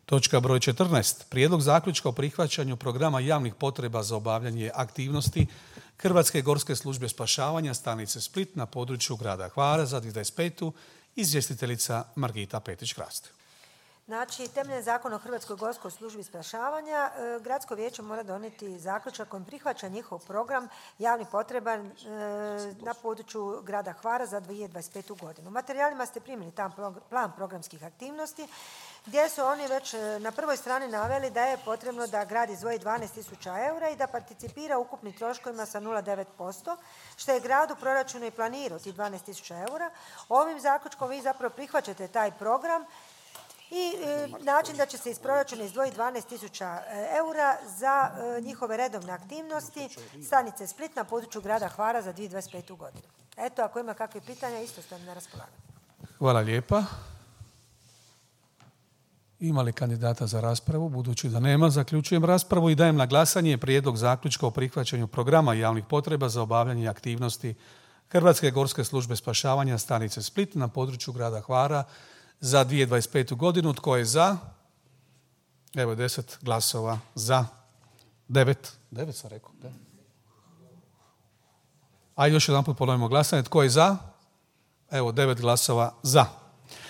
Točka broj 14. Prijedlog zaključka o prihvaćanju programa javnih potreba za obavljanje aktivnosti Hrvatske gorske službe spašavanja stanice Split na području grada Hvara za 2025. Izvjestiteljica Margita Petić-Krast. Znači, temeljem Zakona o Hrvatskoj gorskoj službi spašavanja, Gradsko vijeće mora donijeti zaključak kojim prihvaća njihov program javnih potreba na području grada Hvara za 2025. godinu. U materijalima ste primili tam plan programskih aktivnosti gdje su oni već na prvoj strani naveli da je potrebno da grad izdvoji 12.000 eura i da participira ukupnim troškovima sa 0,9%, što je grad u proračunu i planirao tih 12.000 eura. Ovim zaključkom vi zapravo prihvaćate taj program i način da će se iz proračuna izdvojiti 12.000 eura za njihove redovne aktivnosti stanice Split na području grada Hvara za 2025. godinu. Eto, ako ima kakve pitanja, isto ste na raspolaganju. Hvala lijepa. Ima li kandidata za raspravu? Budući da nema, zaključujem raspravu i dajem na glasanje prijedlog zaključka o prihvaćanju programa javnih potreba za obavljanje aktivnosti Hrvatske gorske službe spašavanja stanice Split na području grada Hvara za 2025. godinu. Tko je za? Evo 10 glasova za. 9 sam rekao. Da. Ajde još jedan put ponovimo glasanje. Tko je za? Evo 9 glasova za.